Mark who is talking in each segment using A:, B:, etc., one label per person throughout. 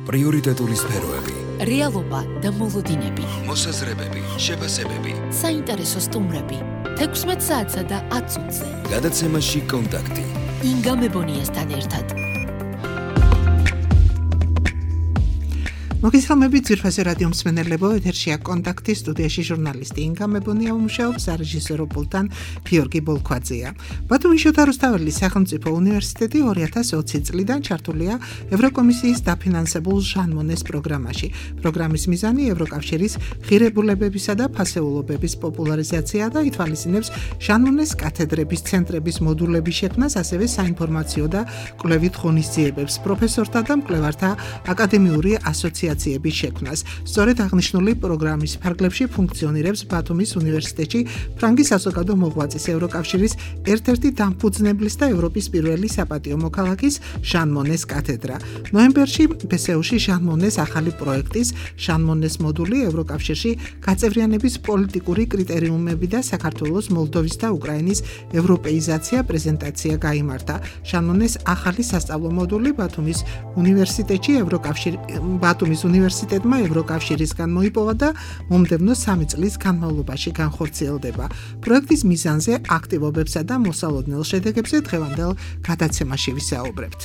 A: პრიორიტეტული სფეროები,
B: რეალობა და მოლოდინები,
A: მოსაზრებები, შეფასებები,
B: საინტერესო სტუმრები, 16 საათსა და 10 წუთზე.
A: გადაცემაში კონტაქტი.
B: ინგა მებონიასთან ერთად.
C: მოგესალმებით ძვირფასი რადიო მსმენელებო, ეთერშია კონტაქტი, სტუდიაში ჟურნალისტი ინგა მებონია მუშაობს, რეჟისორო პულტთან გიორგი ბოლქვაძეა. ბათუმის შოთა რუსთაველის სახელმწიფო უნივერსიტეტი 2020 წლიდან ჩართულია ევროკომისიის დაფინანსებულ ჟან მონეს პროგრამაში. პროგრამის მიზანი ევროკავშირის ღირებულებებისა და ფასეულობების პოპულარიზაცია და ითვალისწინებს ჟან მონეს კათედრების ცენტრების მოდულების შექმნას, ასევე საინფორმაციო და კვლევით ღონისძიებებს, პროფესორთა და მკვლევართა აკადემიური ასოციაციების შექმნას. სწორედ აღნიშნული პროგრამის ფარგლებში ფუნქციონირებს ბათუმის უნივერსიტეტში ფრანგის საზოგადო მოღვაწის ევროკავშირის ერთ-ერთი დამფუძნებლის და ევროპის პირველი საპატიო მოქალაქის ჟან მონეს კათედრა. ნოემბერში ბსეუში ჟან მონეს ახალი პროექტის ჟან მონეს მოდული ევროკავშირში გაწევრიანების პოლიტიკური კრიტერიუმები და საქართველოს, მოლდოვის და უკრაინის ევროპეიზაცია პრეზენტაცია გაიმართა. ჟან მონეს ახალი სასწავლო მოდული ბათუმის უნივერსიტეტმა ევროკავშირისგან მოიპოვა და მომდევნო 3 წლის განმავლობაში განხორციელდება. პროექტის მიზანზე, აქტივობებსა და მოსალოდნელ შედეგებზე დღევანდელ გადაცემაში ვისაუბრებთ.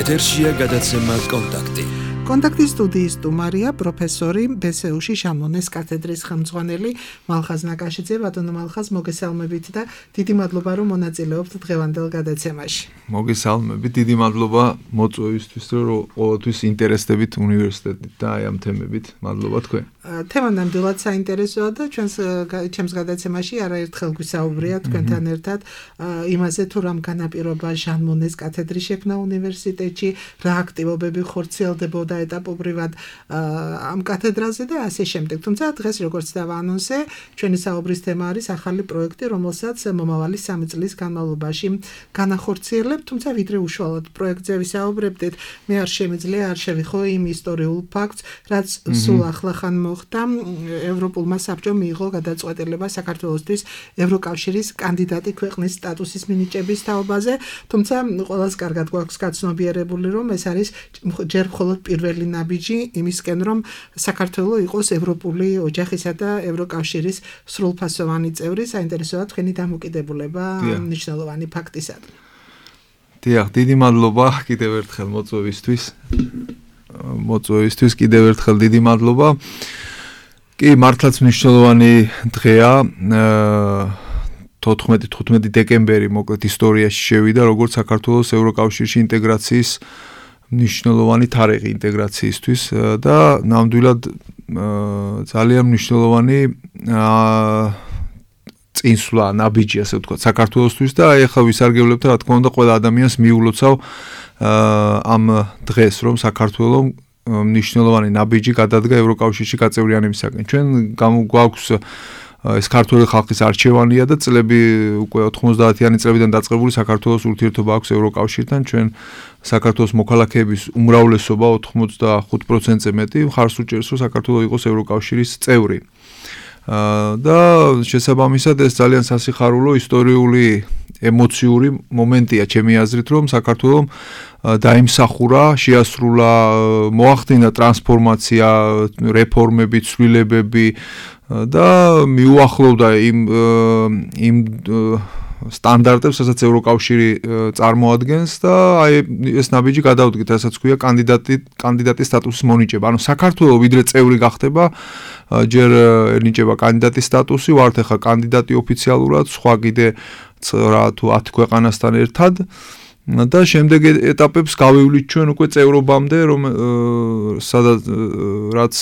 A: ეთერშია გადაცემა კონტაქტი.
C: კონტაქტის სტუდიის სტუმარია პროფესორი ბსეუში ჟან მონეს კათედრის ხელმძღვანელი მალხაზ ნაკაშიძე. ბატონო მალხაზ, მოგესალმებით და დიდი მადლობა რომ მონაწილეობთ დღევანდელ გადაცემაში.
D: მოგესალმებით, დიდი მადლობა მოწვევისთვის, რომ ყოველთვის ინტერესდებით უნივერსიტეტით და აი ამ თემებით. მადლობა თქვენ.
C: თემა ნამდვილად საინტერესოა და ჩემს გადაცემაში არაერთხელ გვისაუბრია თქვენთან ერთად იმაზე, თუ რამ განაპირობა ჟან მონეს კათედრის შექმნა უნივერსიტეტში, რა აქტივობები ხორციელდებოდა ეტაპობრივად ამ კათედრაზე და ასე შემდეგ. თუმცა დღეს, როგორც დავაანონსე, ჩვენი საუბრის თემა არის ახალი პროექტი, რომელსაც მომავალი 3 წლის განმავლობაში განახორციელებთ. თუმცა ვიდრე უშუალოდ პროექტზე ვისაუბრებდით, მე არ შემიძლია არ შევიხო იმ ისტორიულ ფაქტს, რაც სულ ახლახან მოხდა. ევროპულმა საბჭომ მიიღო გადაწყვეტილება საქართველოსთვის ევროკავშირის კანდიდატი ქვეყნის სტატუსის მინიჭების თაობაზე. თუმცა ყველას კარგად გვაქვს გაცნობიერებული, რომ ეს არის ჯერ მხოლოდ პირველი ნაბიჯი იმისკენ, რომ საქართველოს იყოს ევროპული ოჯახისა და ევროკავშირის სრულფასოვანი წევრი. საინტერესოა თქვენი დამოკიდებულება მნიშვნელოვანი ფაქტისადმი.
D: დიახ, დიდი მადლობა კიდევ ერთხელ მოწვევისთვის კიდევ ერთხელ დიდი მადლობა. კი, მართლაც მნიშვნელოვანი დღეა. 14-15 დეკემბერი მოკლედ ისტორიაში შევიდა, როგორც საქართველოს ევროკავშირში ინტეგრაციის მნიშვნელოვანი თარიღი ინტეგრაციისთვის და ნამდვილად ძალიან მნიშვნელოვანი წინსვლა, ნაბიჯი, ასე ვთქვათ, საქართველოსთვის და აი ახლა ვისარგებლებთ, რა თქმა უნდა, ყველა ადამიანს მიულოცავ ამ დღეს, რომ საქართველოს მნიშვნელოვანი ნაბიჯი გადადგა ევროკავშირში გაწევრიანებისაკენ. ჩვენ გვაქვს ეს ქართული ხალხის არჩევანია და წლები უკვე 90-იანი წლებიდან დაწყებული საქართველოს ურთიერთობა აქვს ევროკავშირთან. ჩვენ საქართველოს მოქალაქეების უმრავლესობა 85%-ზე მეტი მხარს უჭერს, რომ საქართველოს იყოს ევროკავშირის წევრი. და შესაბამისად ეს ძალიან სასიხარულო ისტორიული ემოციური მომენტია ჩემი აზრით, რომ საქართველოს დაიმსახურა, შეასრულა, მოახდინა ტრანსფორმაცია, რეფორმები, ცვლილებები და მიუახლოვდა იმ სტანდარტებს, რასაც ევროკავშირი წარმოადგენს და აი ეს ნაბიჯი გადავდგეთ, რასაც ქვია კანდიდატის სტატუსის მონიჭება. ანუ საქართველოს ვიდრე წევრი გახდება, ჯერ ენიჭება კანდიდატის სტატუსი, ვართ ახლა კანდიდატი ოფიციალურად, სხვა კიდე რა თუ 10 ქვეყანასთან ერთად და შემდეგ ეტაპებს გავივლით ჩვენ უკვე წევრობამდე, სადაც რაც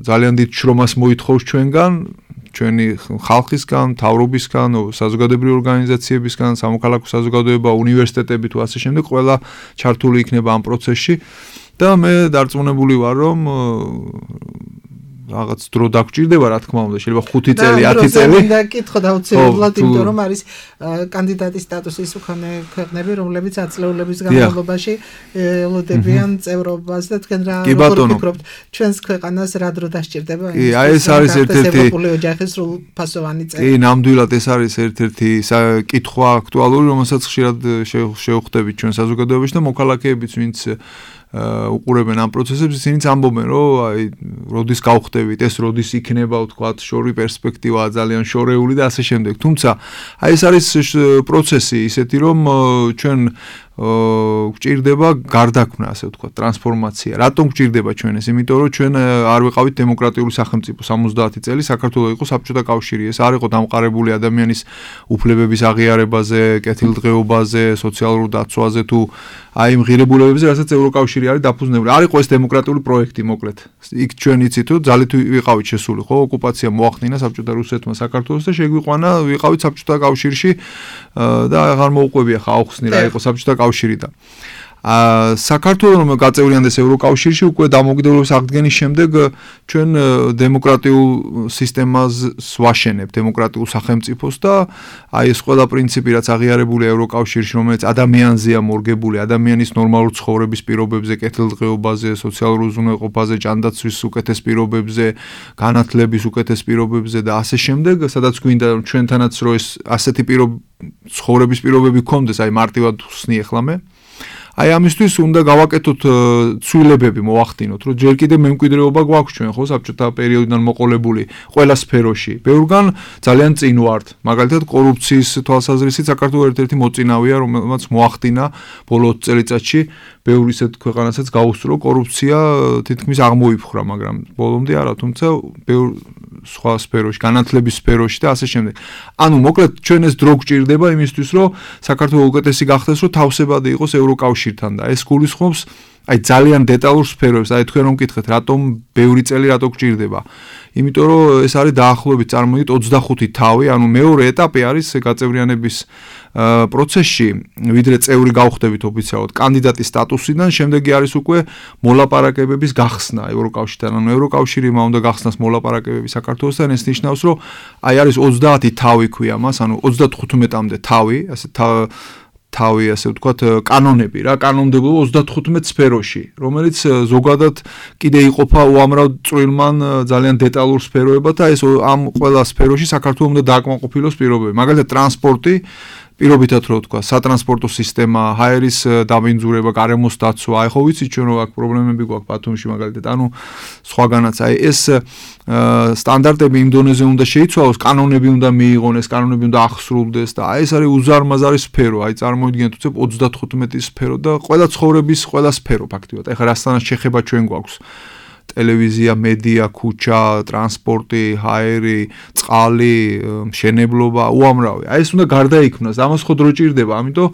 D: ძალიან დიდ შრომას მოითხოვს ჩვენგან, ჩვენი ხალხისგან, მთავრობისგან, საზოგადოებრივი ორგანიზაციებისგან, სამოქალაქო საზოგადოება, უნივერსიტეტები თუ ასე შემდეგ, ყველა ჩართული იქნება ამ პროცესში და მე დარწმუნებული ვარ, რომ რაღაც დრო დაგჭირდება, რა თქმა უნდა, შეიძლება 5 წელი, 10 წელი.
C: და კითხო დაუცილებლად, იმიტომ რომ არის კანდიდატის სტატუსის მქონე ქვეყნები, რომლებიც აწლეულების განმავლობაში ელოდებიან წევრობას და თქვენ რა ფიქრობთ, ჩვენს ქვეყანას რა დრო დასჭირდება?
D: კი, აი ეს არის ერთ-ერთი
C: ევროპული ოჯახის სრულფასოვანი წევრი.
D: კი, ნამდვილად ეს არის ერთ-ერთი კითხვა აქტუალური, რომელსაც ხშირად შევხვდებით ჩვენ საზოგადოებაში და მოქალაქეებიც, ვინც უყურებენ ამ პროცესებს, ისინიც ამბობენ, რომ აი როდის გავხდებით, ეს როდის იქნება, ვთქვათ, შორი პერსპექტივაა ძალიან შორეული და ასე შემდეგ. თუმცა აი ეს არის პროცესი ისეთი, რომ ჩვენ გვჭირდება გარდაქმნა, ასე ვთქვათ, ტრანსფორმაცია. რატომ გვჭირდება ჩვენ ეს? იმიტომ რომ ჩვენ არ ვიყავით დემოკრატიული სახელმწიფო 70 წელი, საქართველოს იყო საბჭოთა კავშირი. ეს არ იყო დამყარებული ადამიანის უფლებების აღიარებაზე, კეთილდღეობაზე, სოციალურ დაცვაზე თუ აი იმ ღირებულებებზე, რასაც ევროკავშირი არის დაფუძნებული. არ იყო ეს დემოკრატიული პროექტი, მოკლედ. იქ ჩვენ იცით, რომ ძალით ვიყავით შესული, ხო, ოკუპაცია მოახდინა საბჭოთა რუსეთმა საქართველოს და შეგვიყვანა, ვიყავით საბჭოთა კავშირში და აღარ მოუყვებია ხა აუხსნი რა იყო საბჭოთა კავშირი და საქართველოს რომ გაწევრიანდეს ევროკავშირში უკვე დამოუკიდებლობის აღდგენის შემდეგ ჩვენ დემოკრატიულ სისტემას ვაშენებთ, დემოკრატიულ სახელმწიფოს და აი ეს ყველა პრინციპი რაც აღიარებულია ევროკავშირში, რომელიც ადამიანზეა მორგებული, ადამიანის ნორმალურ ცხოვრების პირობებზე, კეთილდღეობაზე, სოციალურ უზრუნველყოფაზე, ჯანდაცვის უკეთეს პირობებზე, განათლების უკეთეს პირობებზე და ასე შემდეგ, სადაც გვინდა ჩვენთანაც რო ეს ასეთი ცხოვრების პირობები გქონდეს, აი მარტივად ხსნი ახლა მე აი ამისთვის უნდა გავაკეთოთ ცვლილებები მოახდინოთ, რომ ჯერ კიდევ მემკვიდრეობა გვაქვს ჩვენ ხო საბჭოთა პერიოდიდან მოყოლებული ყველა სფეროში. ბევრგან ძალიან წინ ვართ. მაგალითად კორუფციის თვალსაზრისით საქართველოს ერთ-ერთი მოწინავეა, რომელმაც მოახდინა ბოლო 20 წელიწადში ბევრი ისეთ ქვეყანასაც გაუსწრო კორუფცია თითქმის აღმოიფხვრა, მაგრამ ბოლომდე არა, თუმცა ბევრ სხვა სფეროში, განათლების სფეროში და ასე შემდეგ. ანუ მოკლედ ჩვენ ეს დრო გვჭირდება იმისთვის, რომ საქართველოს უკეთესი გახდეს, რომ თავსებადი იყოს ევროკავშირთან და ეს გულისხმობს აი ძალიან დეტალურ სფეროებს, აი თქვენ რომ მკითხეთ, რატომ ბევრი წელი რატო გჭირდება? იმიტომ რომ ეს არის დაახლოებით წარმოვიდეთ 25 თავი, ანუ მეორე ეტაპი არის გაწევრიანების პროცესში, ვიდრე წევრი გავხდებით ოფიციალურად კანდიდატის სტატუსიდან, შემდეგი არის უკვე მოლაპარაკებების გახსნა ევროკავშირთან. ანუ ევროკავშირმა უნდა გახსნას მოლაპარაკებები საქართველოსთან, ეს ნიშნავს, რომ აი არის 30 თავი ქვია მას, ანუ 35-მდე თავი, ასე თავი ასე ვთქვათ კანონები რა, კანონმდებლობა 35 სფეროში, რომელიც ზოგადად კიდე იყოფა უამრავ წვრილმან ძალიან დეტალურ სფეროებად და ეს ამ ყველა სფეროში საქართველოს უნდა დააკმაყოფილოს პირობები. მაგალითად ტრანსპორტი პირობითად რო ვთქვა, სატრანსპორტო სისტემა, ჰაერის დამბინძურება, გარემოს დაცვა, აი ხო ვიცით ჩვენ რომ აქ პრობლემები გვაქვს ბათუმში მაგალითად, ანუ სხვაგანაც, აი ეს სტანდარტები იმ დონეზე უნდა შეიცვალოს, კანონები უნდა მიიღონ, ეს კანონები უნდა ახსრულდეს და აი ეს არის უზარმაზარი სფერო, აი წარმოიდგინეთ უცებ 35 სფერო და ყველა ცხოვრების ყველა სფერო ფაქტიურად. ეხლა რასთანაც შეხება ჩვენ გვაქვს. ტელევიზია, მედია, ქუჩა, ტრანსპორტი, ჰაერი, წყალი, მშენებლობა, უამრავი. აი ეს უნდა გარდაიქმნას, ამას ხო დრო ჭირდება, ამიტომ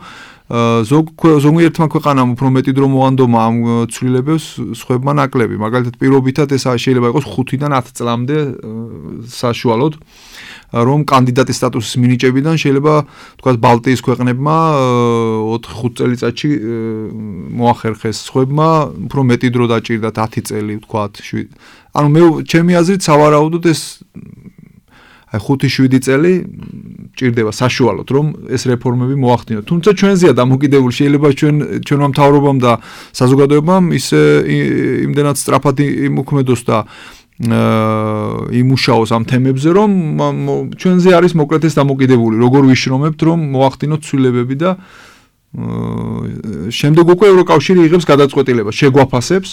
D: ზოგიერთმა ქვეყანამ უფრო მეტი დრო მოანდომა ამ ცვლილებებს, სხვებმა ნაკლები. მაგალითად, პირობითად ეს შეიძლება იყოს 5-დან 10 წლამდე საშუალოდ, რომ კანდიდატის სტატუსის მინიჭებიდან შეიძლება თქვათ ბალტიის ქვეყნებმა 4-5 წელიწადში მოახერხეს, სხვებმა უფრო მეტი დრო დაჭირდათ 10 წელი, თქვათ 7. ანუ მე ჩემი აზრით სავარაუდოდ ეს აი 5-7 წელი ჭირდება საშუალოდ, რომ ეს რეფორმები მოახდინოთ. თუმცა ჩვენზეა დამოკიდებული, შეიძლება ჩვენმა მთავრობამ და საზოგადოებამ ისე იმდენად სწრაფად იმოქმედოს და იმუშაოს ამ თემებზე, რომ ჩვენზე არის მოკლედ ეს დამოკიდებული, როგორ ვიშრომებთ, რომ მოახდინოთ ცვლილებები და შემდეგ უკვე ევროკავშირი იღებს გადაწყვეტილებას, შეგვაფასებს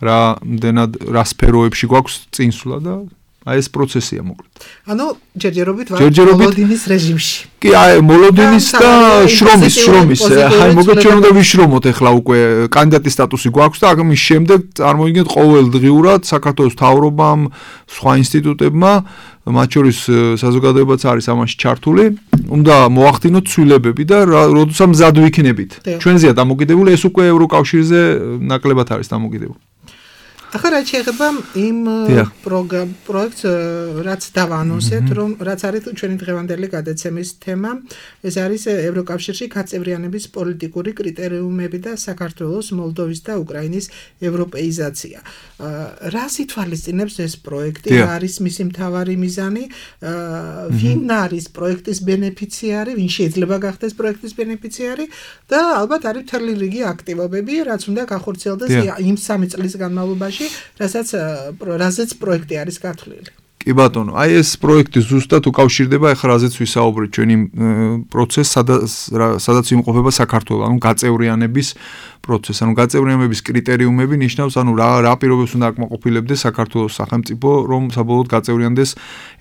D: რა სფეროებში გვაქვს წინსვლა და აი ეს პროცესია მოკლედ.
C: ანუ ჯერჯერობით მოლოდინის რეჟიმში.
D: კი, აი მოლოდინის და შრომის. აი მოკლედ ჩვენ უნდა ვიშრომოთ ახლა უკვე კანდიდატის სტატუსი გვაქვს და ამის შემდეგ წარმოიდგინეთ ყოველდღიურად საქართველოს მთავრობამ, სხვა ინსტიტუტებმა, მათ შორის საზოგადოებაც არის ამაში ჩართული, უნდა მოახდინოთ ცვლილებები და როდესაც მზად ვიქნებით. ჩვენზეა დამოკიდებული, ეს უკვე ევროკავშირზე ნაკლებად არის დამოკიდებული. ახლა რაც შეეხება იმ პროექტს, რაც დავანონსეთ, რომ რაც არის ჩვენი დღევანდელი გადაცემის თემა, ეს არის ევროკავშირში გაწევრიანების პოლიტიკური კრიტერიუმები და საქართველოს, მოლდოვის და უკრაინის ევროპეიზაცია. რას ითვალისწინებს ეს პროექტი? რა არის მისი მთავარი მიზანი? ვინ არის პროექტის ბენეფიციარი, ვინ შეიძლება გახდეს პროექტის ბენეფიციარი და ალბათ არის მთელი რიგი აქტივობები, რაც უნდა გახორციელდეს იმ 3 წლის განმავლობაში, რასაც პროექტი არის გათვლილი. კი ბატონო, აი ეს პროექტი ზუსტად უკავშირდება ახლა რაზეც ვისაუბრეთ ჩვენი პროცესს, სადაც იმყოფება საქართველო, ანუ გაწევრიანების პროცესი, ანუ გაწევრიანების კრიტერიუმები ნიშნავს, ანუ რა პირობებს უნდა აკმაყოფილებდეს საქართველოს სახელმწიფო, რომ საბოლოოდ გაწევრიანდეს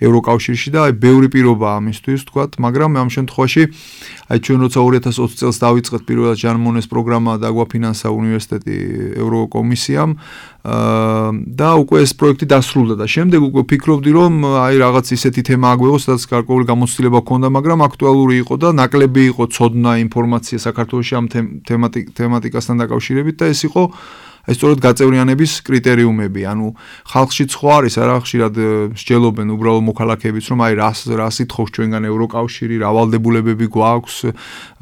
D: ევროკავშირში და აი ბევრი პირობაა ამისთვის, თქვათ, მაგრამ ამ შემთხვევაში აი ჩვენ როცა 2020 წელს დავიწყეთ პირველად ჟან მონეს პროგრამა და აგვაფინანსა უნივერსიტეტი ევროკომისიამ და უკვე ეს პროექტი დასრულდა და შემდეგ უკვე ფიქრობდი რომ აი რაღაც ისეთი თემა აგვეღო, სადაც გარკვეული გამოცდილება ჰქონდა, მაგრამ აქტუალური იყო და ნაკლები იყო ცოდნა, ინფორმაცია საქართველოში ამ თემატიკასთან დაკავშირებით და ეს იყო ეს სწორედ გაწევრიანების კრიტერიუმები, ანუ ხალხში ხო არის არა ხშირად მსჯელობენ უბრალო მოქალაქეებიც, რომ აი რა სითხობს ჩვენგან ევროკავშირი, რა ვალდებულებები გვაქვს,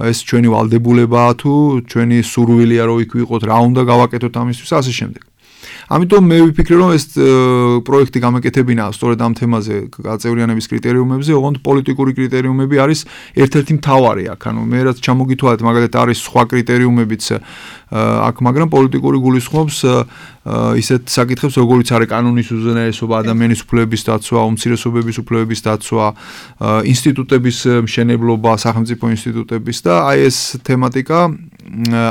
D: ეს ჩვენი ვალდებულებაა თუ ჩვენი სურვილია რომ იქ ვიყოთ, რა უნდა გავაკეთოთ ამისთვის, ასე შემდეგ. ამიტომ მე ვიფიქრე რომ ეს პროექტი გამეკეთებინა სწორედ ამ თემაზე გაწევრიანების კრიტერიუმებზე, ოღონდ პოლიტიკური კრიტერიუმები არის ერთ-ერთი მთავარი აქ. ანუ მე რაც ჩამოგითვალეთ, მაგალითად არის სხვა კრიტერიუმებიც აქ, მაგრამ პოლიტიკური გულისხმობს ისეთ საკითხებს, როგორიც არის კანონის უზენაესობა, ადამიანის უფლებების დაცვა, უმცირესობების უფლებების დაცვა, ინსტიტუტების მშენებლობა, სახელმწიფო ინსტიტუტების და აი ეს თემატიკა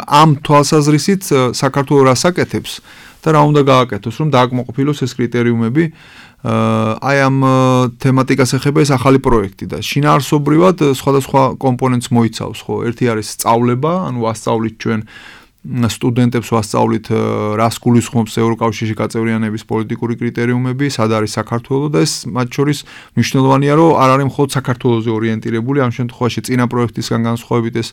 D: ამ თვალსაზრისით საქართველოს რას აკეთებს და რა უნდა გააკეთოს, რომ დააკმაყოფილოს ეს კრიტერიუმები. აი ამ თემატიკას ეხება ეს ახალი პროექტი და შინაარსობრივად სხვადასხვა კომპონენტს მოიცავს, ხო? ერთი არის სწავლება, ანუ ვასწავლით ჩვენ სტუდენტებს ვასწავლით რას გულისხმობს ევროკავშირში გაწევრიანების პოლიტიკური კრიტერიუმები, სად არის საქართველო და ეს მათ შორის მნიშვნელოვანია, რომ არ არის მხოლოდ საქართველოზე ორიენტირებული, ამ შემთხვევაში წინა პროექტისგან განსხვავებით ეს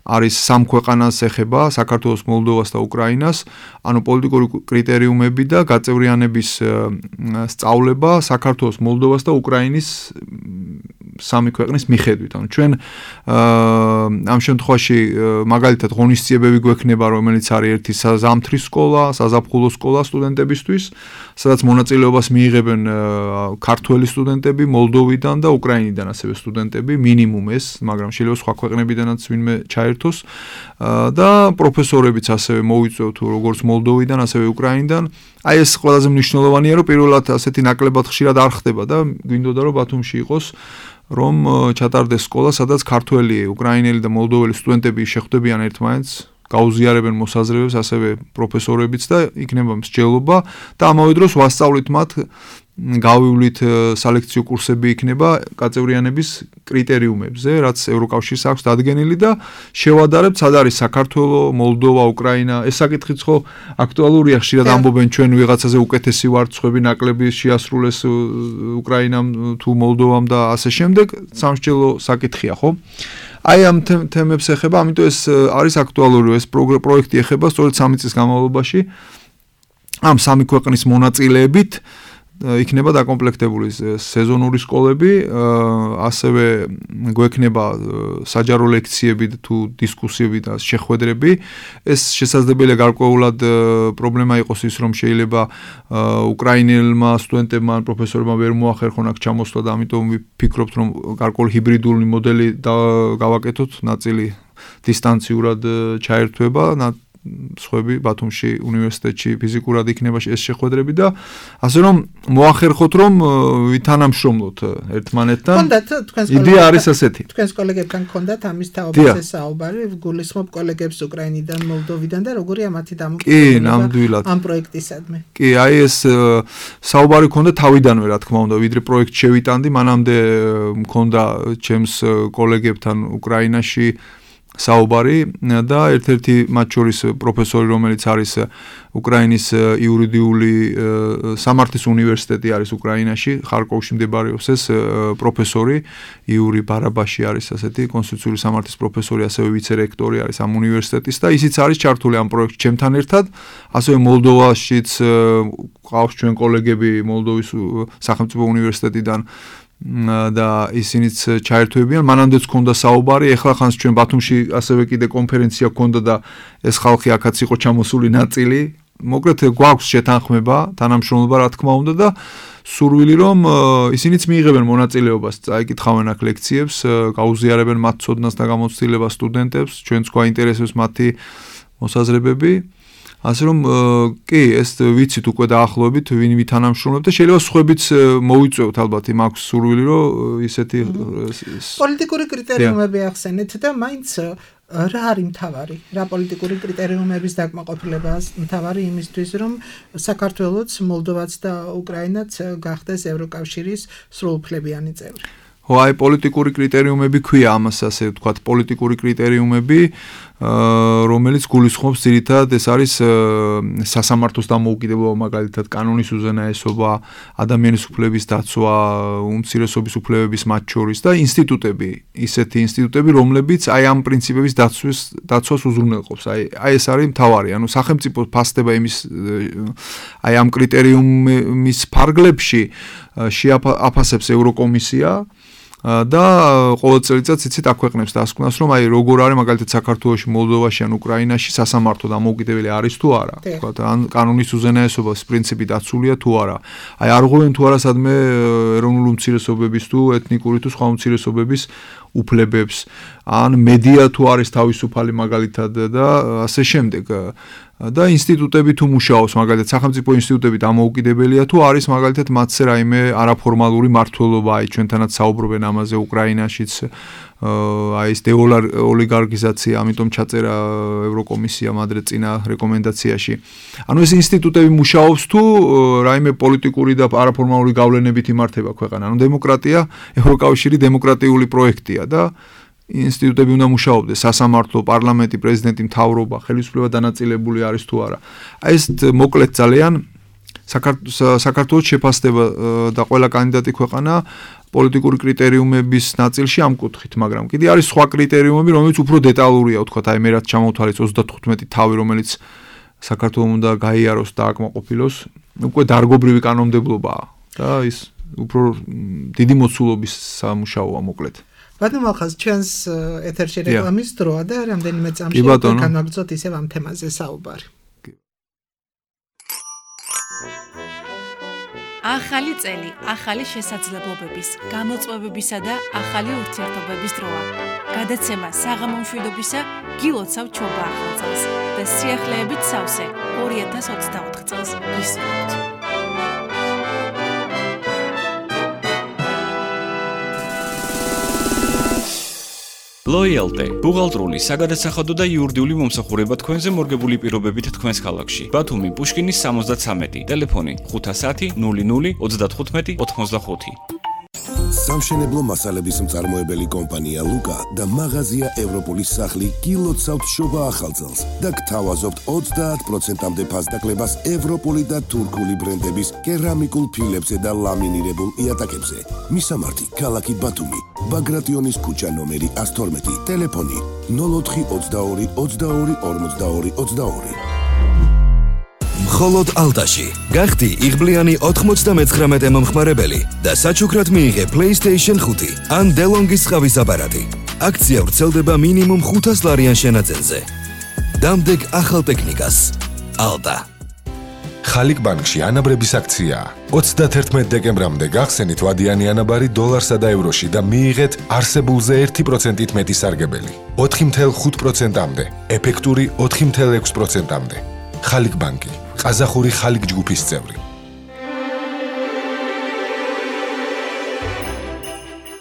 D: არის სამ ქვეყანას ეხება, საქართველოს, მოლდოვას და უკრაინას, ანუ პოლიტიკური კრიტერიუმები და გაწევრიანების სწავლება საქართველოს, მოლდოვას და უკრაინის სამი ქვეყნის მიხედვით. ანუ ჩვენ ამ შემთხვევაში მაგალითად ღონისძიებები გვექნება, რომელიც არის ერთი საზამთრის სკოლა, საზაფხულო სკოლა სტუდენტებისთვის, სადაც მონაწილეობას მიიღებენ ქართველი სტუდენტები, მოლდოვიდან და უკრაინიდან ასევე სტუდენტები, მინიმუმ ეს, მაგრამ შეიძლება სხვა ქვეყნებიდანაც ვინმე ჩაერთოს და პროფესორებიც ასევე მოიწვევთ როგორც მოლდოვიდან, ასევე უკრაინიდან. აი ეს ყველაზე მნიშვნელოვანია, რომ პირველად ასეთი ნაკლებად ხშირად არ ხდება და გვინდოდა რომ ბათუმში იყოს რომ ჩატარდეს სკოლა, სადაც ქართველი, უკრაინელი და მოლდოველი სტუდენტები შეხვდებიან ერთმანეთს, გაუზიარებენ მოსაზრებებს, ასევე პროფესორებიც და იქნება მსჯელობა და ამავე დროს ვასწავლით მათ, გავივლით სალექციო კურსები იქნება გაწევრიანების კრიტერიუმებზე, რაც ევროკავშირს აქვს დადგენილი და შევადარებთ, სად არის საქართველო, მოლდოვა, უკრაინა. ეს საკითხიც ხო აქტუალურია, ხშირად ამბობენ ჩვენ ვიღაცაზე უკეთესი ვართ, სხვები ნაკლები შეასრულეს უკრაინამ თუ მოლდოვამ და ასე შემდეგ. სამსჯელო საკითხია, ხო? აი ამ თემებს ეხება, ამიტომ ეს არის აქტუალური, ეს პროექტი ეხება სწორედ 3 წლის განმავლობაში ამ სამი ქვეყნის მონაწილეებით იქნება დაკომპლექტებული სეზონური სკოლები, ასევე გვექნება საჯარო ლექციები თუ დისკუსიები და შეხვედრები. ეს შესაძლებელია გარკვეულად პრობლემა იყოს ის, რომ შეიძლება უკრაინელმა სტუდენტებმა ან პროფესორებმა ვერ მოახერხონ აქ ჩამოსვლა და ამიტომ ვფიქრობთ, რომ გარკვეული ჰიბრიდული მოდელი გავაკეთოთ, ნაწილი დისტანციურად ჩაერთვება, სხვები ბათუმში უნივერსიტეტში ფიზიკურად იქნება ეს შეხვედრები და ასე რომ მოახერხოთ რომ ვითანამშრომლოთ ერთმანეთთან. იდეა არის ასეთი.
C: თქვენს კოლეგებთან გქონდათ ამის თაობაზე საუბარი, გულისხმობ კოლეგებს უკრაინიდან, მოლდოვიდან და როგორია მათი დამოკიდებულება ამ პროექტისადმი.
D: კი, აი ეს საუბარი გქონდა თავიდანვე, რა თქმა უნდა, ვიდრე პროექტ შევიტანდი, მანამდე მქონდა ჩემს კოლეგებთან უკრაინაში საუბარი და ერთ-ერთი მათ შორის პროფესორი, რომელიც არის უკრაინის იურიდიული სამართლის უნივერსიტეტი არის უკრაინაში, ხარკოვში მდებარეობს ეს პროფესორი, იური ბარაბაში არის ასეთი კონსტიტუციური სამართლის პროფესორი, ასევე ვიცე-რექტორი არის ამ უნივერსიტეტის და ისიც არის ჩართული ამ პროექტში ჩემთან ერთად, ასევე მოლდოვაშიც ყავს ჩვენ კოლეგები მოლდოვის სახელმწიფო უნივერსიტეტიდან და ისინიც ჩაერთვებიან. მანამდეც ჰქონდა საუბარი, ეხლა ხანს ჩვენ ბათუმში ასევე კიდე კონფერენცია ჰქონდა და ეს ხალხი აქაც იყო ჩამოსული ნაწილი. მოკლედ გვაქვს შეთანხმება, თანამშრომლობა რა თქმა უნდა და სურვილი რომ ისინიც მიიღებენ მონაწილეობას, წაიკითხავენ აქ ლექციებს, გაუზიარებენ მათ ცოდნას და გამოცდილებას სტუდენტებს, ჩვენც გვაინტერესებს მათი მოსაზრებები. ასე რომ კი ეს ვიცით უკვე დაახლოებით ვინ ვითანამშრომლობ და შეიძლება სხვებიც მოვიწვევთ ალბათ იმ აქვს სურვილი რომ ისეთი
C: პოლიტიკური კრიტერიუმები ახსენეთ და მაინც რა არის მთავარი? რა პოლიტიკური კრიტერიუმების დაკმაყოფილება მთავარი იმისთვის, რომ საქართველოც, მოლდოვაც და უკრაინაც გახდეს ევროკავშირის სრულუფლებიანი წევრი?
D: აი პოლიტიკური კრიტერიუმები ქვია ამას ასე ვთქვათ, პოლიტიკური კრიტერიუმები, რომელიც გულისხმობს ძირითადად ეს არის სასამართლოს დამოუკიდებლობა, მაგალითად კანონის უზენაესობა, ადამიანის უფლების დაცვა, უმცირესობის უფლებების მათ შორის და ინსტიტუტები, ისეთი ინსტიტუტები, რომლებიც აი ამ პრინციპების დაცვას უზრუნველყოფს. აი ეს არის მთავარი, ანუ სახელმწიფო ფასდება იმის აი ამ კრიტერიუმის ფარგლებში შეაფასებს ევროკომისია და ყოველ წელიწადს იცით აქვეყნებს დასკვნას რომ აი როგორ არის მაგალითად საქართველოში, მოლდოვაში ან უკრაინაში სასამართლო დამოუკიდებელი არის თუ არა, თქვა ან კანონის უზენაესობის პრინციპი დაცულია თუ არა. აი არ ღვევენ თუ არა სადმე ეროვნული უმცირესობების თუ ეთნიკური თუ სხვა უმცირესობების უფლებებს, ან მედია თუ არის თავისუფალი მაგალითად და ასე შემდეგ. და ინსტიტუტები თუ მუშაობს, მაგალითად სახელმწიფო ინსტიტუტები დამოუკიდებელია თუ არის მაგალითად მათზე რაიმე არაფორმალური მმართველობა, აი ჩვენთანაც საუბრობენ ამაზე უკრაინაშიც, აი ეს დეოლიგარქიზაცია, ამიტომ ჩაწერა ევროკომისიამ ადრე წინა რეკომენდაციაში. ანუ ეს ინსტიტუტები მუშაობს თუ რაიმე პოლიტიკური და არაფორმალური გავლენებით იმართება ქვეყანა. ანუ დემოკრატია, ევროკავშირი დემოკრატიული პროექტია და ინსტიტუტები უნდა მუშაობდეს, სასამართლო, პარლამენტი, პრეზიდენტი, მთავრობა, ხელისუფლება დანაწილებული არის თუ არა. აი ეს მოკლედ ძალიან საქართველოს შეფასდება და ყველა კანდიდატი ქვეყანა პოლიტიკური კრიტერიუმების ნაწილში ამ კუთხით, მაგრამ კიდე არის სხვა კრიტერიუმები, რომელიც უფრო დეტალურია, ვთქვათ, აი მე რაც ჩამოვთვალეთ 35 თავი, რომელიც საქართველოს უნდა გაიაროს და აკმაყოფილოს, უკვე დარგობრივი კანონმდებლობაა და ის უფრო დიდი მოცულობის სამუშაოა მოკლედ.
C: ბატონო ახალ ჩვენს ეთერში რეკლამის დროა და რამდენიმე წამში განვაგრძოთ ისევ ამ თემაზე საუბარი.
B: ახალი წელი, ახალი შესაძლებლობების, გამოწვევებისა და ახალი ურთიერთობების დროა. გადაცემა საღამო მშვიდობისა გილოცავ ჩობა ახალ წელს და სიახლეებით სავსე 2024 წელს გისურვებთ.
E: Loyalty, ბუღალტრული, საგადასახადო და იურიდიული მომსახურება თქვენზე მორგებული პირობებით თქვენს ქალაქში. ბათუმი, პუშკინის 73, ტელეფონი 510 00 35 85.
F: სამშენებლო მასალების მწარმოებელი კომპანია ლუკა და მაღაზია ევროპოლის სახლი გილოცავთ შობა ახალწელს და გთავაზობთ 30%-მდე ფასდაკლებას ევროპული და თურქული ბრენდების კერამიკულ ფილებზე და ლამინირებულ იატაკებზე. მისამართი ქალაქი ბათუმი, ბაგრატიონის ქუჩა ნომერი 112, ტელეფონი 04 22 22 42 22.
A: მხოლოდ ალტაში გახდი იღბლიანი 99 მომხმარებელი და საჩუქრად მიიღე PlayStation 5 ან DeLonghi-ის ყავის აპარატი. აქცია ვრცელდება მინიმუმ 500 ლარიან შენაძენზე. დამდეგ ახალ ტექნიკას. ალტა.
G: ხალიკ ბანკში ანაბრების აქციაა. 31 დეკემბრამდე გახსენით ვადიანი ანაბარი დოლარსა და ევროში და მიიღეთ არსებულზე 1%-ით მეტი სარგებელი. 4.5%-მდე, ეფექტური 4.6%-მდე. ხალიკ ბანკი, ყაზახური ხალიკ ჯგუფის წევრი.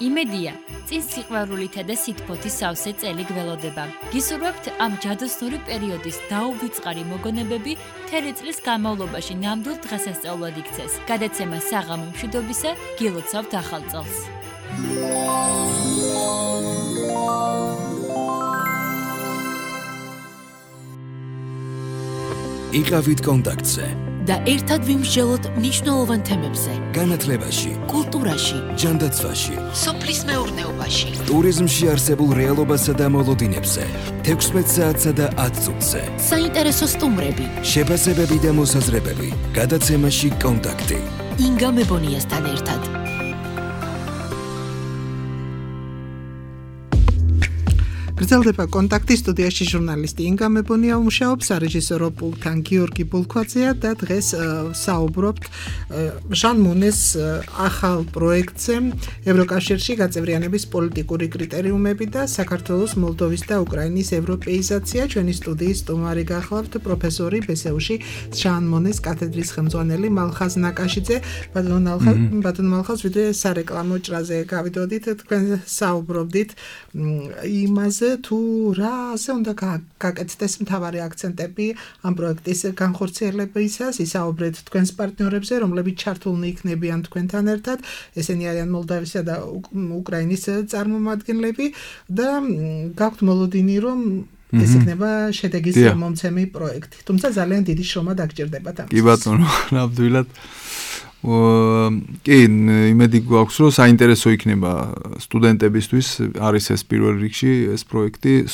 H: იმედია, წინ სიყვარულითა და სითბოთის სავსე წელი გველოდება. გისურვებთ ამ ჯადოსნური პერიოდის დაუვიწყარი მოგონებები მთელი წლის განმავლობაში ნამდვილ დღესასწაულად იქცეს. გადაცემა საღამო მშვიდობისა გილოცავთ ახალ წელს.
A: იყავით კონტაქტზე
B: და ერთად ვიმსჯელოთ მნიშვნელოვან თემებზე.
A: განათლებაში,
B: კულტურაში,
A: ჯანდაცვაში,
B: სოფლის მეურნეობაში,
A: ტურიზმში არსებულ რეალობასა და მოლოდინებზე, 16 საათსა და 10 წუთზე.
B: საინტერესო სტუმრები,
A: შეფასებები და მოსაზრებები. გადაცემაში კონტაქტი.
B: ინგა მებონიასთან ერთად.
C: გრძელდება კონტაქტი სტუდიაში ჟურნალისტი ინგა მებონია მუშაობს სარეჟისორო პულტთან გიორგი ბოლქვაძეა და დღეს საუბრობთ ჟან მონეს ახალ პროექტზე ევროკავშირში გაწევრიანების პოლიტიკური კრიტერიუმები და საქართველოს, მოლდოვის და უკრაინის ევროპეიზაცია. ჩვენი სტუდიის სტუმარი გახლავთ პროფესორი ბესეუში ჟან მონეს კათედრის ხელმძღვანელი მალხაზ ნაკაშიძე. ბატონ მალხაზ, ვიდრე სარეკლამო ჭრაზე გავიდოდით, თქვენ საუბრობდით იმაზე თუ რაზე უნდა გაკეთდეს მთავარი აქცენტები ამ პროექტის განხორციელებისას, ისაუბრეთ თქვენს პარტნიორებზე, რომლებიც ჩართულნი იქნებიან თქვენთან ერთად, ესენი არიან მოლდავისა და უკრაინის წარმომადგენლები და გაქვთ მოლოდინი, რომ ეს იქნება შედეგის მომცემი პროექტი. თუმცა ძალიან დიდი შრომა დაგჭირდებათ ამისთვის.
D: კი ბატონო, ნამდვილად. კი, იმედი გვაქვს, რომ საინტერესო იქნება სტუდენტებისთვის, არის ეს პირველ რიგში ეს პროექტი,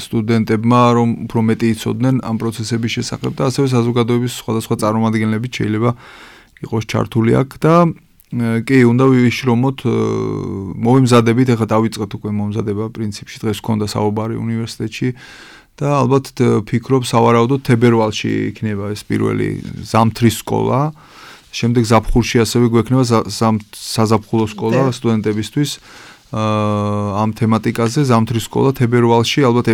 D: სტუდენტებმა რომ უფრო მეტი იცოდნენ ამ პროცესების შესახებ და ასევე საზოგადოების სხვადასხვა წარმომადგენლები შეიძლება იყოს ჩართული აქ და კი, უნდა ვიშრომოთ, მოვიმზადებით, ახლა დავიწყეთ უკვე მომზადება პრინციპში, დღეს გქონდა საუბარი უნივერსიტეტში და ალბათ ფიქრობ სავარაუდოდ თებერვალში იქნება ეს პირველი ზამთრის სკოლა. შემდეგ ზაფხულში ასევე გვექნება საზაფხულო სკოლა სტუდენტებისთვის ამ თემატიკაზე, ზამთრის სკოლა თებერვალში, ალბათ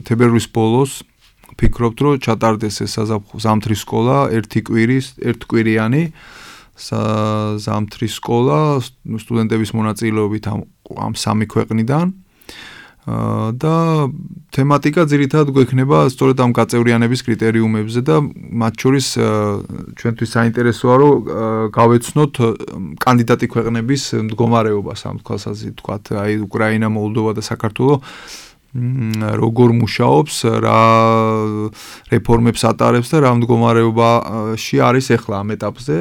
D: თებერვლის ბოლოს ფიქრობთ, რომ ჩატარდეს ეს ზამთრის სკოლა ერთკვირიანი ზამთრის სკოლა სტუდენტების მონაწილეობით ამ სამი ქვეყნიდან და თემატიკა ძირითადად გვექნება სწორედ ამ გაწევრიანების კრიტერიუმებზე და მათ შორის ჩვენთვის საინტერესოა რომ გავეცნოთ კანდიდატი ქვეყნების მდგომარეობას ამ თვალსაზრისით ვთქვათ, აი უკრაინა, მოლდოვა და საქართველო როგორ მუშაობს, რა რეფორმებს ატარებს და რა მდგომარეობაში არის ახლა ამ ეტაპზე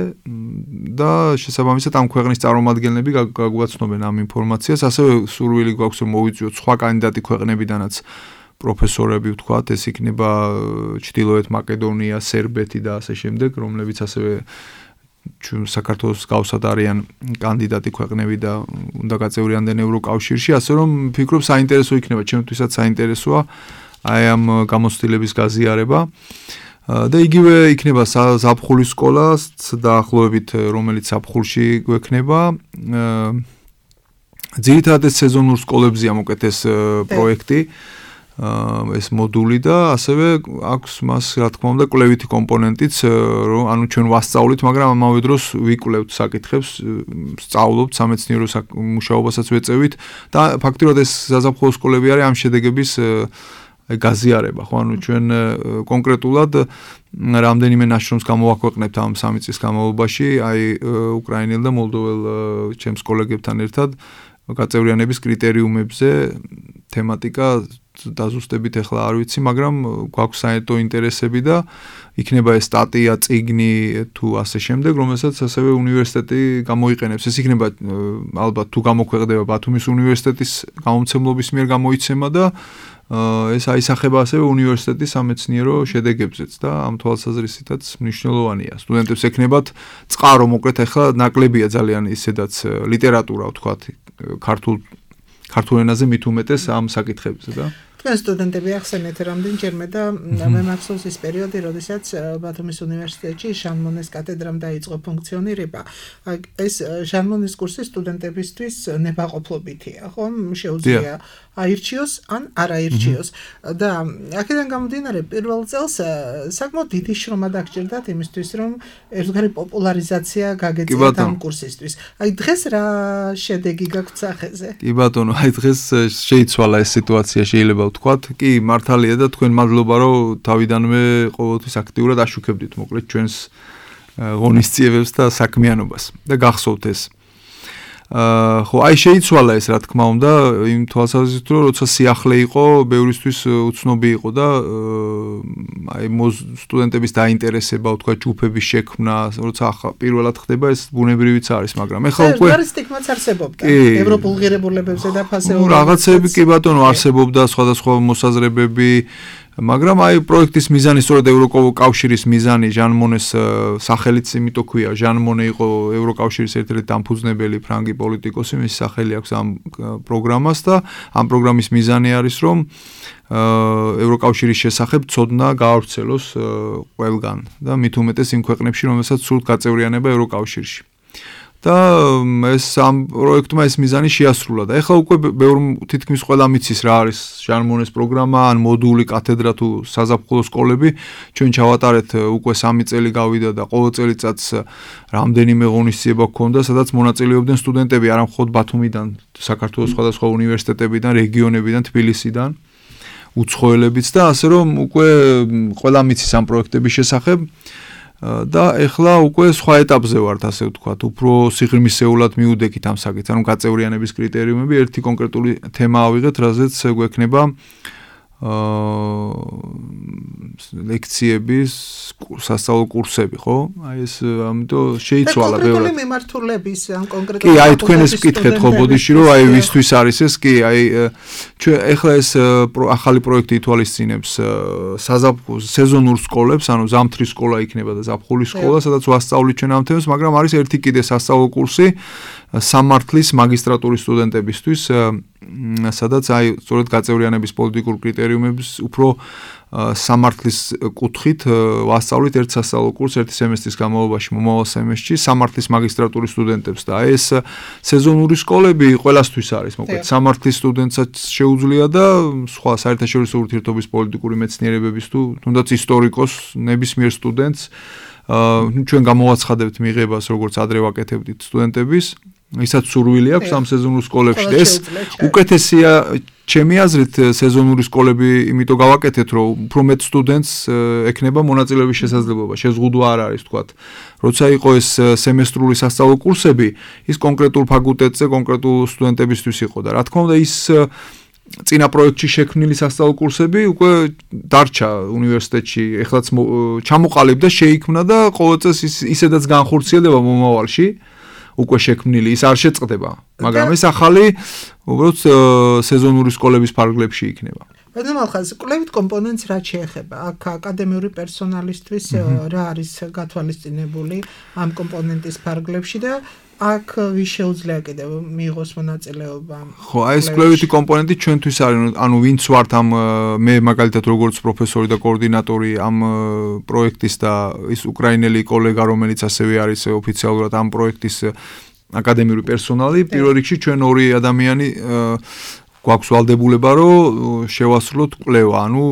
D: და შესაბამისად ამ ქვეყნის წარმომადგენლები გაგვაცნობენ ამ ინფორმაციას. ასევე სურვილი გვაქვს რომ მოვიწვიოთ სხვა კანდიდატი ქვეყნებიდანაც პროფესორები ვთქვათ, ეს იქნება ჩრდილოეთ მაკედონია, სერბეთი და ასე შემდეგ, რომლებიც ასევე საქართველოს გავსად არიან კანდიდატი ქვეყნები და უნდა გაწევრიანდნენ ევროკავშირში, ასე რომ ფიქრობ საინტერესო იქნება, ჩემთვისაც საინტერესოა აი ამ გამოცდილების გაზიარება და იგივე იქნება ზაფხულის სკოლას დაახლოებით, რომელიც ზაფხულში გვექნება. ძირითადად ეს სეზონურ სკოლებზეა მოკეთ ეს პროექტი, ეს მოდული და ასევე აქვს მას რა თქმა უნდა კვლევითი კომპონენტიც, რომ ანუ ჩვენ ვასწავლით, მაგრამ ამავე დროს ვიკვლევთ საკითხებს, სწავლობთ სამეცნიერო მუშაობასაც ვეწევით და ფაქტობრივად ეს საზაფხულო სკოლები არის ამ შედეგების გაზიარება, ხო, ანუ ჩვენ კონკრეტულად რამდენიმე ნაშრომს გამოვაქვეყნებთ ამ 3 წლის განმავლობაში, აი უკრაინელ და მოლდოվել ჩემს კოლეგებთან ერთად გაწევრიანების კრიტერიუმებზე თემატიკა დაზუსტებით ახლა არ ვიცი, მაგრამ გვაქვს საერთო ინტერესები და იქნება ეს სტატია, წიგნი თუ ასე შემდეგ, რომელსაც ასევე უნივერსიტეტი გამოიყენებს. ეს იქნება ალბათ თუ გამოქვეყნდება ბათუმის უნივერსიტეტის გამომცემლობის მიერ გამოიცემა და ეს აისახება ასევე უნივერსიტეტის სამეცნიერო შედეგებზეც და ამ თვალსაზრისითაც მნიშვნელოვანია. სტუდენტებს ექნებათ წყარო, მოკლედ ახლა ნაკლებია ძალიან ისედაც ლიტერატურა ვთქვათ, ქართულ ენაზე მით უმეტეს ამ საკითხებზე და
C: თქვენ სტუდენტები ახსენეთ რამდენჯერმე და მე მახსოვს ის პერიოდი, როდესაც ბათუმის უნივერსიტეტში ჟან მონეს კათედრამ დაიწყო ფუნქციონირება. ეს ჟან მონეს კურსი სტუდენტებისთვის ნებაყოფლობითია, ხო? შეუძლია აირჩიოს ან არ აირჩიოს და აქედან გამომდინარე პირველ წელს საკმაოდ დიდი შრომა დაგჭირდათ იმისთვის, რომ ერთგვარი პოპულარიზაცია გაგეწიათ ამ კურსისთვის. აი დღეს რა შედეგი გაქვთ სახეზე?
D: კი ბატონო, აი დღეს შეიცვალა ეს სიტუაცია, შეიძლება ვთქვათ. კი, მართალია და თქვენ მადლობა, რომ თავიდანვე ყოველთვის აქტიურად აშუქებდით მოკლედ ჩვენს ღონისძიებებს და საქმიანობას და გახსოვთ ეს. ხო, აი შეიცვალა ეს რა თქმა უნდა, იმ თვალსაზრისით, რომ როცა სიახლე იყო, ბევრისთვის უცნობი იყო და აი სტუდენტების დაინტერესება, ვთქვა, ჯგუფების შექმნა, როცა ახლა პირველად ხდება, ეს ბუნებრივიც არის, მაგრამ ეხლა უკვე
C: არის სტიგმაც არსებობდა ევროპულ ღირებულებებზე და ფასეულობებზე.
D: რაღაცები კი ბატონო არსებობდა, სხვადასხვა მოსაზრებები მაგრამ აი პროექტის მიზანი სწორედ ევროკავშირის მიზანი ჟან მონეს სახელიც იმიტომ ქვია ჟან მონე იყო ევროკავშირის ერთ-ერთი დამფუძნებელი ფრანგი პოლიტიკოსი მის სახელი აქვს ამ პროგრამას და ამ პროგრამის მიზანი არის რომ ევროკავშირის შესახებ ცოდნა გაავრცელოს ყველგან და მით უმეტეს იმ ქვეყნებში რომელსაც სურთ გაწევრიანება ევროკავშირში და ეს ამ პროექტმა ეს მიზანი შეასრულა და ეხლა უკვე თითქმის ყველა მიცის რა არის ჟან მონეს პროგრამა ან მოდული კათედრა თუ საზაფხულო სკოლები ჩვენ ჩავატარეთ უკვე 3 წელი გავიდა და ყოველ წელიწადს რამდენიმე ღონისძიება გქონდა სადაც მონაწილეობდნენ სტუდენტები არა მხოლოდ ბათუმიდან საქართველოს სხვადასხვა უნივერსიტეტებიდან რეგიონებიდან თბილისიდან უცხოელებიც და ასე რომ უკვე ყველა მიცის ამ პროექტების შესახებ და ეხლა უკვე სხვა ეტაპზე ვართ ასე ვთქვათ, უფრო სიღრმისეულად მიუდექით ამ საკითხს, ანუ გაწევრიანების კრიტერიუმები, ერთი კონკრეტული თემა ავიღეთ, რაზეც გვექნება ლექციების სასწავლო კურსები, ხო? აი ეს ამიტომ შეიცვალა ბევრად.
C: კონკრეტული მიმართულების ან კონკრეტული
D: კი, აი თქვენ ეს ვკითხეთ ხო ბოდიში, რომ აი ვისთვის არის ეს, კი, აი ჩვენ ეხლა ეს ახალი პროექტი ითვალისწინებს სეზონურ სკოლებს, ანუ ზამთრის სკოლა იქნება და ზაფხულის სკოლა, სადაც ვასწავლით ჩვენ ამ თემას, მაგრამ არის ერთი კიდე სასწავლო კურსი სამართლის მაგისტრატურის სტუდენტებისთვის, სადაც აი სწორედ გაწევრიანების პოლიტიკურ კრიტერიუმებს უფრო სამართლის კუთხით ვასწავლით ერთ სასწავლო კურსს ერთი სემესტრის განმავლობაში მომავალ სემესტრში სამართლის მაგისტრატურის სტუდენტებს და აი ეს სეზონური სკოლები ყველასთვის არის მოკლედ სამართლის სტუდენტსაც შეუძლია და სხვა საერთაშორისო ურთიერთობის პოლიტიკური მეცნიერებების თუ თუნდაც ისტორიკოს ნებისმიერ სტუდენტს ჩვენ გამოვაცხადებთ მიღებას როგორც ადრე ვაკეთებდით სტუდენტების ისაც სურვილი აქვს ამ სეზონურ სკოლებში და ეს უკეთესია ჩემი აზრით სეზონური სკოლები იმიტომ გავაკეთეთ რომ უფრო მეტ სტუდენტს ექნება მონაწილეობის შესაძლებლობა შეზღუდვა არ არის თქვათ როცა იყო ეს სემესტრული სასწავლო კურსები ის კონკრეტულ ფაკულტეტზე კონკრეტულ სტუდენტებისთვის იყო და რა თქმა უნდა ის წინა პროექტში შექმნილი სასწავლო კურსები უკვე დარჩა უნივერსიტეტში ეხლაც ჩამოყალიბდა შეიქმნა და ყოველ წელს ისედაც განხორციელდება მომავალში უკვე შექმნილი ის არ შეწყდება მაგრამ ეს ახალი უბრალოდ სეზონური სკოლების ფარგლებში იქნება
C: ბატონო ხაზ კვლევით კომპონენტს რა შეეხება აქ აკადემიური პერსონალისთვის რა არის გათვალისწინებული ამ კომპონენტის ფარგლებში და აქ ვის შეუძლია კიდევ მიიღოს მონაწილეობა
D: ხო აი ეს კვლევითი კომპონენტი ჩვენთვის არის ანუ ვინც ვართ ამ მე მაგალითად როგორც პროფესორი და კოორდინატორი ამ პროექტის და ის უკრაინელი კოლეგა რომელიც ასევე არის ოფიციალურად ამ პროექტის აკადემიური პერსონალი პირველ რიგში ჩვენ ორი ადამიანი გვაქვს ვალდებულება რომ შევასრულოთ კვლევა ანუ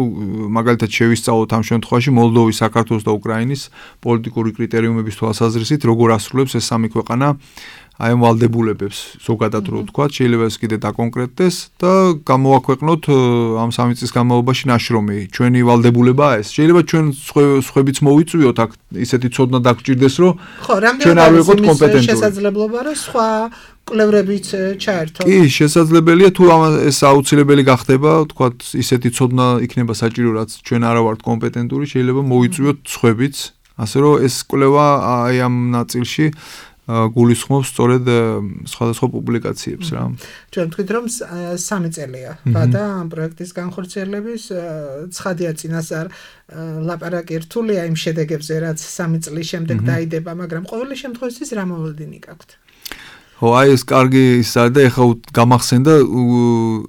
D: მაგალითად შევისწავლოთ ამ შემთხვევაში მოლდოვის, საქართველოს და უკრაინის პოლიტიკური კრიტერიუმების თვალსაზრისით როგორ ასრულებს ეს სამი ქვეყანა აი ამ ვალდებულებებს ზოგადად რო ვთქვა შეიძლება ეს კიდე დაკონკრეტდეს და გამოვაქვეყნოთ ამ სამი წლის განმავლობაში ნაშრომი ჩვენი ვალდებულებაა ეს შეიძლება ჩვენ სხვებიც მოვიწვიოთ აქ ისეთი ცოდნა დაგჭირდეს რომ ჩვენ არ ვიყოთ კომპეტენტური
C: შესაძლებლობა რომ სხვა კვლევრებიც ჩაერთო.
D: კი, შესაძლებელია თუ ეს აუცილებელი გახდება, თქვათ, ისეთი ცოდნა იქნება საჭირო, რაც ჩვენ არა ვართ კომპეტენტური, შეიძლება მოვიწვიოთ სხვებიც, ასე რომ ეს კვლევა აი ამ ნაწილში გულისხმობს სწორედ სხვადასხვა პუბლიკაციებს რა.
C: ჩვენ ვთქვით რომ 3 წელია და ამ პროექტის განხორციელების ცხადია წინასწარ ლაპარაკი რთულია იმ შედეგებზე, რაც 3 წლის შემდეგ დაიდება, მაგრამ ყოველი შემთხვევაში რა მოლოდინი გაქვთ?
D: ხო, აი ეს კარგი ის არის და ეხლა გამახსენდა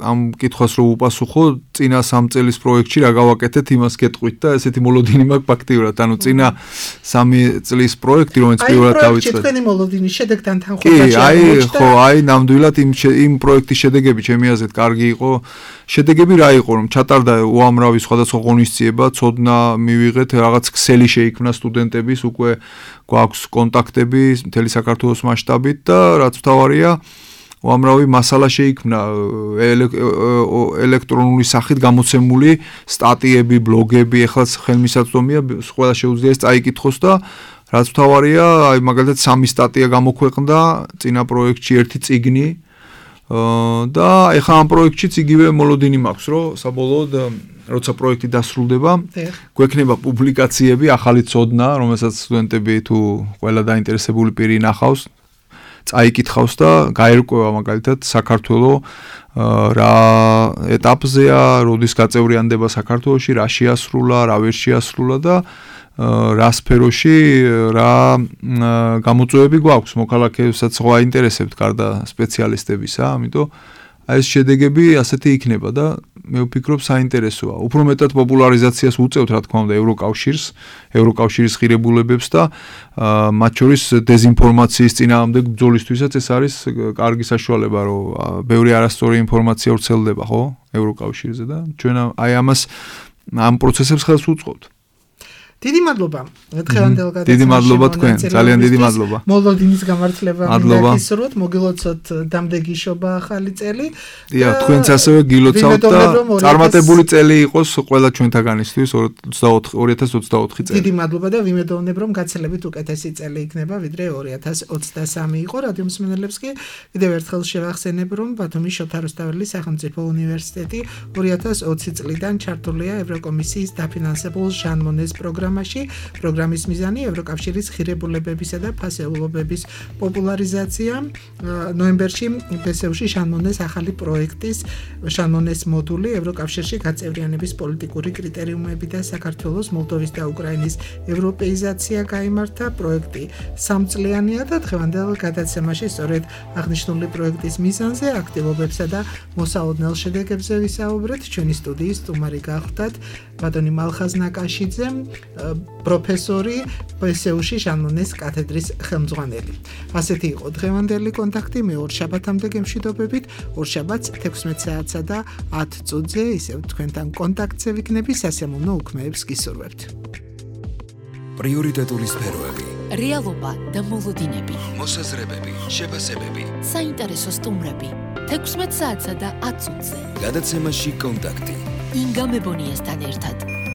D: ამ კითხვას რომ უპასუხო წინა 3 წელის პროექტში რა გავაკეთეთ იმას გეტყვით და ესეთი მოლოდინი მაქვს ფაქტიურად ანუ წინა 3 წლის პროექტი რომელიც პირველად დავიწყე.
C: აი თქვენი მოლოდინი შედეგთან თანხმობაში
D: კი, აი ხო, აი ნამდვილად იმ პროექტის შედეგები ჩემი აზრით კარგი იყო. შედეგები რა იყო რომ ჩატარდა უამრავი სხვადასხვა ღონისძიება, ცოდნა მივიღეთ, რაღაც ქსელი შეიქმნა სტუდენტების, უკვე გვაქვს კონტაქტები მთელი საქართველოს მასშტაბით და რაც მთავარია, უამრავი მასალა შეიქმნა ელექტრონული სახით გამოცემული სტატიები, ბლოგები, ეხლა ხელმისაწვდომია, ყველა შეუძლია ეს წაიკითხოს და რაც მთავარია, აი მაგალითად 3 სტატია გამოქვეყნდა წინა პროექტში, ერთი წიგნი და ეხლა ამ პროექტშიც იგივე მოლოდინი მაქვს, რომ საბოლოოდ როცა პროექტი დასრულდება, გვექნება პუბლიკაციები, ახალი ცოდნა, რომელსაც სტუდენტები თუ ყველა დაინტერესებული პირი ნახავს, წაიკითხავს და გაერკვევა მაგალითად საქართველოს რა ეტაპზეა, როდის გაწევრიანდება საქართველოში, რა შეასრულა, რა ვერ შეასრულა და რა სფეროში რა გამოწვევები გვაქვს მოქალაქეებსაც ხო აინტერესებთ გარდა სპეციალისტებისა, ამიტომ აი ეს შედეგები ასეთი იქნება და მე ვფიქრობ საინტერესოა. უფრო მეტად პოპულარიზაციას უწევთ რა თქმა უნდა ევროკავშირის ღირებულებებს და მათ შორის დეზინფორმაციის წინააღმდეგ ბრძოლისთვისაც ეს არის კარგი საშუალება, რომ ბევრი არასწორი ინფორმაცია ვრცელდება, ხო, ევროკავშირზე და ჩვენ აი ამ პროცესებს ხელს უწყობთ.
C: დიდი მადლობა. დღევანდელ გადაცემაში.
D: დიდი მადლობა თქვენ, ძალიან დიდი მადლობა.
C: მოლოდინის გამართლება მინდა გისურვოთ, მოგილოცოთ დამდეგიშობა ახალი წელი.
D: დიახ, თქვენც ასევე გილოცავთ და წარმატებული წელი იყოს ყველა ჩვენთაგანისთვის 2024 წელი.
C: დიდი მადლობა და ვიმედოვნებ, რომ გაცილებით უკეთესი წელი იქნება, ვიდრე 2023 იყო. რადიო მსმენელებს კი კიდევ ერთხელ შევახსენებ, რომ ბათუმის შოთა რუსთაველის სახელმწიფო უნივერსიტეტი 2020 წლიდან ჩართულია ევროკომისიის დაფინანსებულ ჟან მონეს პროგრამის მიზანი ევროკავშირის ღირებულებებისა და ფასეულობების პოპულარიზაცია. ნოემბერში ბსევში ჟან მონეს ახალი პროექტის ჟან მონეს მოდული ევროკავშირში გაწევრიანების პოლიტიკური კრიტერიუმები და საქართველოს, მოლდოვის და უკრაინის ევროპეიზაცია გაიმართა. პროექტი 3 წლიანია და დღევანდელ გადაცემაში სწორედ აღნიშნული პროექტის მიზანზე, აქტივობებსა და მოსაოდნელ შედეგებზე ვისაუბრეთ. ჩვენი სტუდიის სტუმარი გახლდათ ბატონი მალხაზ ნაკაშიძე, პროფესორი ბსევში ჟან მონეს კათედრის ხელმძღვანელი. ასეთი იყო დღევანდელი კონტაქტი. მე ორშაბათამდე გემშვიდობებით. ორშაბათს 16 საათსა და 10 წუთზე ისევ თქვენთან კონტაქტზე ვიქნები. სასიამოვნო უქმეებს გისურვებთ.
A: პრიორიტეტული სფეროები,
H: რეალობა და მოლოდინები,
A: მოსაზრებები, შეფასებები,
H: საინტერესო სტუმრები 16 საათსა და 10 წუთზე.
A: გადაცემაში კონტაქტი.
H: ინგა მებონიასთან ერთად.